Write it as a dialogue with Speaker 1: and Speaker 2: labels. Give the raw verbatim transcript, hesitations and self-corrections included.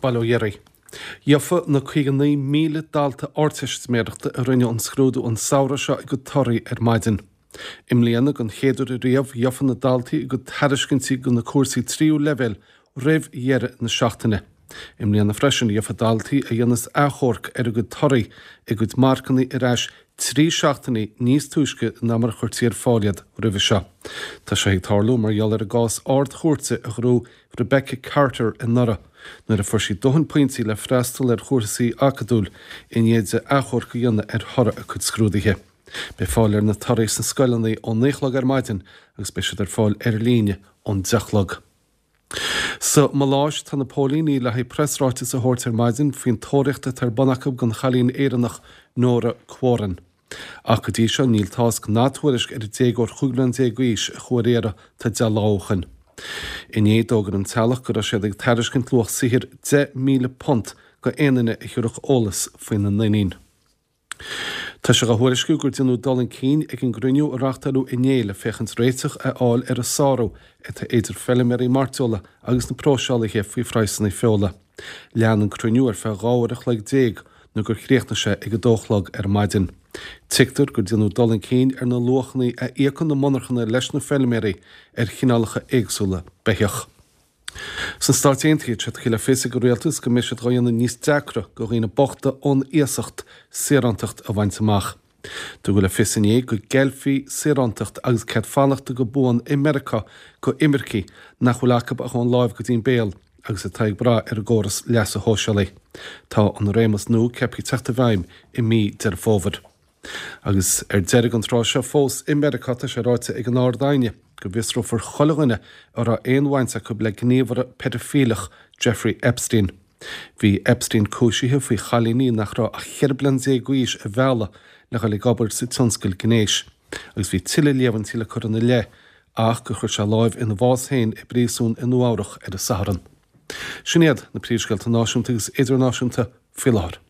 Speaker 1: Baile Ó Dhéirigh. Gheofa na caoga naoi míle dalta Ardteistiméireachta a rinne an scrúdú an samhradh seo a gcuid torthaí ar maidin. I mbliana, den chéad uair riamh, gheofa na daltaí a gcuid tairiscintí do na cúrsaí tríú leibhéal roimh dheireadh na seachtaine. I mbliana freisin, gheofa daltaí a dhéanas achomharc ar a gcuid torthaí a gcuid marcanna ar ais trí seachtainí níos túisce ná mar a chuirtí ar fáil iad roimhe seo. Tá sé ag tarlú mar gheall ar an gcás Ard-Chúirte a ghnóthaigh Rebecca Carter anuraidh, nuair a fuair sí dóthain pointí le freastal ar chúrsaí acadúil i ndiaidh di achomharc a dhéanamh ar thoradh a cuid scrúduithe. Beidh fáil ar na torthaí sna scoileanna ó naoi a chlog ar maidin agus beidh siad ar fáil ar líne ón deich a chlog. Sa Maláis, tá na póilíní le haghaidh preasráiteas a thabhairt ar maidin faoin tóraíocht atá ar bun acu don chailín Éireannach Nóra Quoirin. Ach go dtí seo níl tásc ná tuairisc ar an déagóir chúig bliana déag d'aois a chuaigh ar iarraidh tá deich lá ó shin. Inné d'fhógair an teaghlach go raibh siad ag tairiscint luach saothair deich míle punt go aon duine a thabharfadh eolas faoina n-iníon. Tá sé á thuairisciú gur déanadh dul chun cinn ag an gcruinniú a reáchtáladh inné le féachaint réiteach a fháil ar an sárú atá idir feilméaraí mairteola agus na próiseálaithe faoi phraghsanna feola. Lean an cruinniú ar feadh dhá uair a chloig déag nó gur chríochnaigh sé ag a dó a chlog ar maidin. Tuigtear gur déanadh dul chun cinn ar na luachanna a íocann na monarchana leis na feilméaraí ar chineálacha éagsúla beithíoch. Sna Stáit Aontaithe, tá sé tugtha le fios ag an rialtas go mbeidh siad dhá dhéanamh níos deacra do dhaoine bochta ón iasacht saorántacht a bhaint amach. Tugadh le fios inné go gceilfí saorántacht agus cead fanachta go buan i Meiriceá go imircigh nach bhfuil acu ach ón láimh go dtí'n béal agus atá ag brath ar an gcóras leasa shóisialaigh. Tá an réimeas nua ceaptha teacht i bhfeidhm i mí Deireadh Fómhair. Agus ar deireadh an tráth seo fós i Meiriceá tá sé ráite ag an Ard-Aighne go bhfiosrófar chuile dhuine a raibh aon bhaint acu le gníomhaire peidifíleach Jeffrey Epstein. Bhí Epstein cúisithe faoi chailíní nach raibh ach cheithre bliana déag d'aois a mhealladh le dhul ag obair sa tionscal gnéis, agus bhí tuilleadh líomhaintí le cur ina leith ach gur chuir sé láimh ina bhás féin i bpríosún i Nua-Eabhrac ar an Satharn. Sin iad na príomhscéalta náisiúnta agus idirnáisiúnta faoi láthair.